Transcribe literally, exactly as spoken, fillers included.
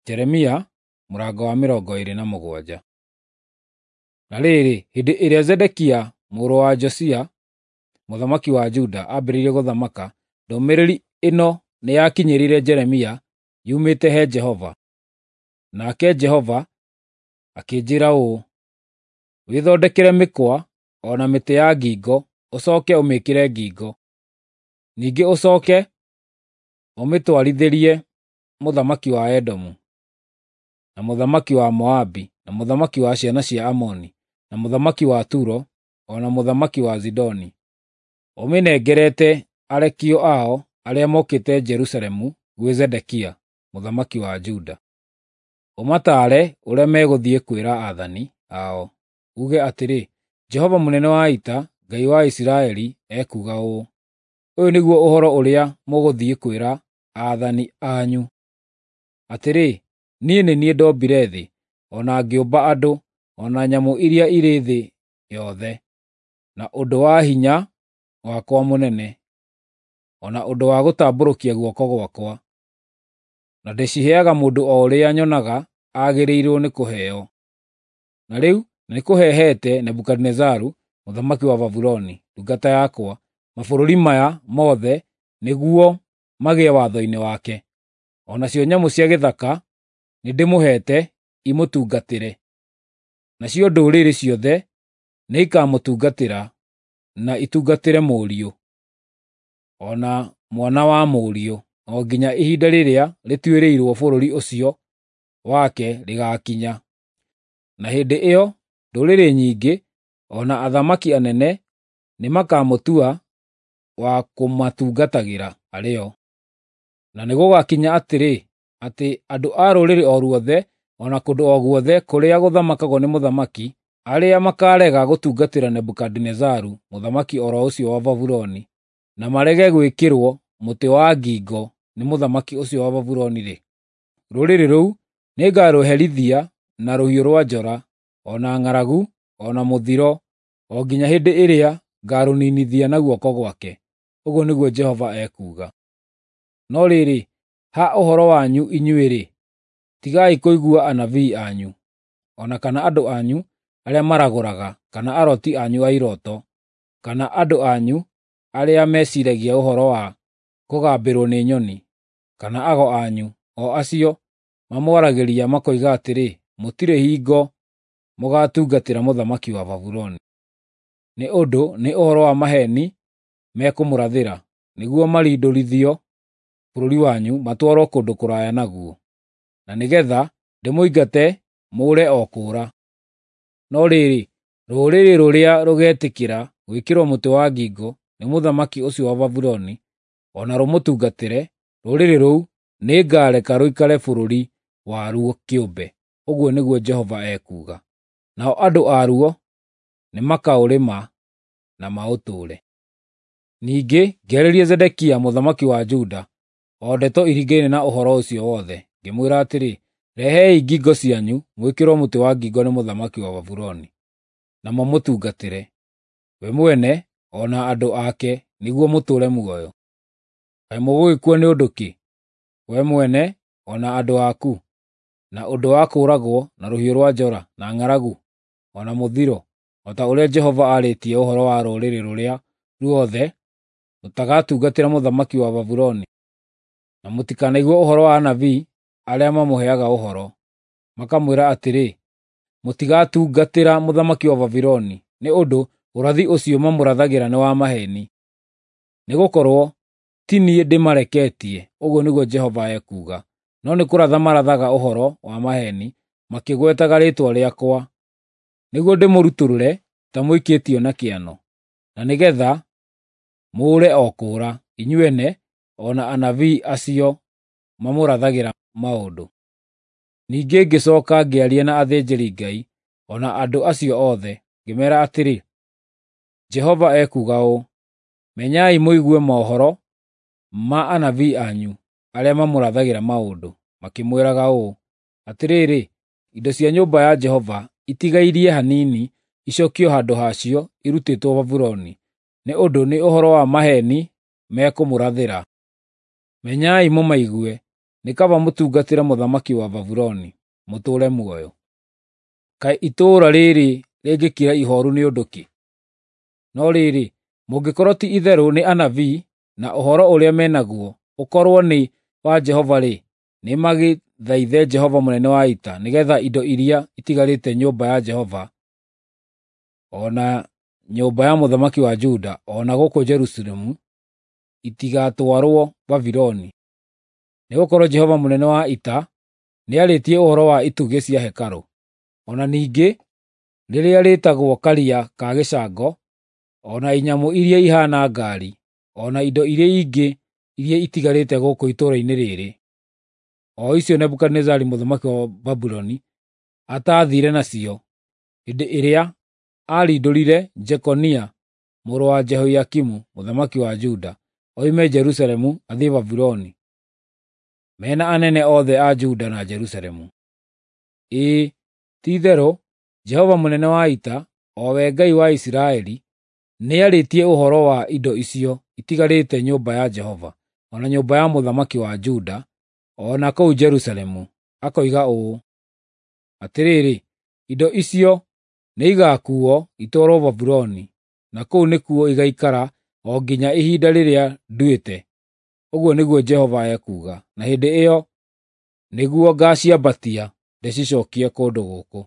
Jeremia mũrango wa mĩrongo ĩĩrĩ na mũgwanja. Na rĩrĩ, hĩndĩ ĩrĩa Zedekia mũrũ wa Josia mũthamaki wa Juda aambĩrĩirie gũthamaka, ndũmĩrĩri ĩno nĩyakinyĩrire Jeremia yumĩte he Jehova. Nake Jehova akĩnjĩĩra ũũ: Wĩthondekere mĩkwa o na mĩtĩ ya ngingo, ũcooke ũmĩĩkĩre ngingo. Ningĩ ũcooke ũmĩtwarithĩrie mũthamaki wa Edomu, na mũthamaki wa Moabi, na mũthamaki wa ciana cia Amoni, na mũthamaki wa Turo, o na mũthamaki wa Zidoni. Ũmĩnengerete arekio ao arĩa mokĩte Jerusalemu gwĩ Zedekia mũthamaki wa Juda. Ũmataare ũrĩa megũthiĩ kwĩra aathani ao, uuge atĩrĩ, ‘Jehova mũnene wa ita, Ngai wa Isiraeli, ekuuga ũũ: Ũyũ nĩguo ũhoro ũrĩa mũgũthiĩ kwĩra aathani anyu: Atĩrĩ, niĩ nĩ niĩ ndombire thĩ, o na ngĩũmba andũ, o na nyamũ iria irĩ thĩ yothe, na ũndũ wa hinya wakwa mũnene, o na ũndũ wa gũtambũrũkia guoko gwakwa, na ndĩciheaga mũndũ o ũrĩa nyonaga agĩrĩirwo nĩ kũheo. Na rĩu nĩkũheete Nebukadinezaru mũthamaki wa Babuloni, ndungata yakwa, mabũrũri maya mothe nĩguo magĩe watho-inĩ wake. O nacio nyamũ cia gĩthaka nĩndĩmũheete imũtungatĩre. Nacio ndũrĩrĩ ciothe nĩikamũtungatĩra na itungatĩre mũriũ, o na mwana wa mũriũ, o nginya ihinda rĩrĩa rĩtuĩrĩirwo bũrũri ũcio wake rĩgaakinya. Na hĩndĩ ĩyo ndũrĩrĩ nyingĩ, o na athamaki anene nĩmakamũtua wa kũmatungatagĩra arĩ o. Na nĩgũgakinya atĩrĩ, atĩ andũ a rũrĩrĩ o ruothe, o na kũndũ o guothe kũrĩa gũthamakagwo nĩ mũthamaki, arĩa makaarega gũtungatĩra Nebukadinezaru mũthamaki o ro ũcio wa Babuloni, na marege gwĩkĩrwo mũtĩ wa ngingo nĩ mũthamaki ũcio wa Babuloni-rĩ, rũrĩrĩ rũu nĩngarũherithia na rũhiũ rwa njora, o na ng'aragu, o na mũthiro, o nginya hĩndĩ ĩrĩa ngaarũninithia na guoko gwake. Ũguo nĩguo Jehova ekuuga. No rĩrĩ, ha ũhoro wanyu inyuĩ-rĩ, tigai kũigua anabii anyu, o na kana andũ anyu arĩa maragũraga, kana aroti anyu a irooto, kana andũ anyu arĩa meciiragia ũhoro wa kũgambĩrwo nĩ nyoni, kana ago anyu, o acio mamwaragĩria makoiga atĩrĩ, ‘Mũtirĩ hingo mũgaatungatĩra mũthamaki wa Babuloni.’ Nĩ ũndũ nĩ ũhoro wa maheeni mekũmũrathĩra, nĩguo marindũrithio bũrũri wanyu matwarwo kũndũ kũraya naguo, na nĩgeetha ndĩmũingate mũũre o kũũra. No rĩrĩ, rũrĩrĩ rũrĩa rũgetĩkĩra gwĩkĩrwo mũtĩ wa ngingo nĩ mũthamaki ũcio wa Babuloni, o na rũmũtungatĩre, rũrĩrĩ rũu nĩngareka rũikare bũrũri waruo kĩũmbe, ũguo nĩguo Jehova ekuuga. Nao andũ aruo nĩmakaũrĩma na maũtũũre. Ningĩ ngĩarĩria Zedekia mũthamaki wa Juda o ndeto iringaine na ũhoro ũcio wothe, ngĩmwĩra atĩrĩ, “Rehei ngingo cianyu mwĩkĩrwo mũtĩ wa ngingo nĩ mũthamaki wa Babuloni, na mũmũtungatĩre, we mwene o na andũ ake, nĩguo mũtũũre muoyo. Kaĩ mũgũgĩkua nĩ ũndũ kĩ, we mwene o na andũ aku, na ũndũ wa kũũragwo na rũhiũ rwa njora, na ng'aragu, o na mũthiro, o ta ũrĩa Jehova aarĩtie ũhoro wa rũrĩrĩ rũrĩa ruothe rũtagatungatĩra mũthamaki wa Babuloni? Na mũtikanaigue ũhoro wa anabii arĩa mamũheaga ũhoro, makamwĩra atĩrĩ, ‘Mũtigatungatĩra mũthamaki wa Babuloni,’ nĩ ũndũ ũrathi ũcio mamũrathagĩra nĩ wa maheeni. Nĩgũkorwo ti niĩ ndĩmareketie, ũguo nĩguo Jehova ekuuga, no nĩ kũratha marathaga ũhoro wa maheeni makĩgwetaga rĩĩtwa rĩakwa, nĩguo ndĩmũrutũrũre ta mũikĩtio na kĩano, na nĩgeetha mũũre o kũũra, inyuene o na anabii acio mamũrathagĩra maũndũ.” Ningĩ ngĩcooka ngĩaria na athĩnjĩri-Ngai o na andũ acio othe, ngĩmeera atĩrĩ, “Jehova ekuuga ũũ: Menyai mũigue mohoro ma anabii anyu arĩa mamũrathagĩra maũndũ, makĩmwĩraga ũũ: ‘Atĩrĩrĩ, indo cia nyũmba ya Jehova itigairie hanini icookio handũ hacio irutĩtwo Babuloni, nĩ ũndũ nĩ ũhoro wa maheeni mekũmũrathĩra. Menyai mũmaigue, Nĩ kaba mũtungatĩre mũthamaki wa Babuloni, mũtũũre muoyo. Kaĩ itũũra rĩrĩ rĩngĩkira ihooru nĩ ũndũ kĩ? No rĩrĩ, mũngĩkorwo ti itherũ nĩ anabii, na ũhoro ũrĩa me naguo ũkorwo nĩ wa Jehova-rĩ, nĩmagĩthaithe Jehova mũnene wa ita, nĩgeetha indo iria itigarĩte nyũmba ya Jehova, o na nyũmba ya mũthamaki wa Juda, o na gũkũ Jerusalemu itigatwarwo Babuloni. Nĩgũkorwo Jehova mũnene wa ita nĩarĩtie ũhoro wa itugĩ cia hekarũ, o na ningĩ rĩrĩa rĩĩtagwo Karia ka gĩcango, o na inyamũ iria ihaana ngaari, o na indo iria ingĩ iria itigarĩte gũkũ itũũra-inĩ rĩrĩ, o icio Nebukadinezaru mũthamaki wa Babuloni ataathiire nacio hĩndĩ ĩrĩa aarindũrire Jekonia mũrũ wa Jehoiakimu mũthamaki wa Juda oime Jerusalemu athiĩ Babuloni, mena anene othe a Juda na Jerusalemu. Ĩĩ, ti-itherũ Jehova mũnene wa ita, o we Ngai wa Isiraeli, nĩarĩtie ũhoro wa indo icio itigarĩte nyũmba ya Jehova, o na nyũmba ya mũthamaki wa Juda, o na kũu Jerusalemu, akoiga ũũ: Atĩrĩrĩ, indo icio nĩigakuuo itwarwo Babuloni, na kũu nĩkuo igaikara o nginya ihinda rĩrĩa nduĩte, ũguo nĩguo Jehova ekuuga, na hĩndĩ ĩyo nĩguo ngaaciambatia ndĩcicookie kũndũ gũkũ.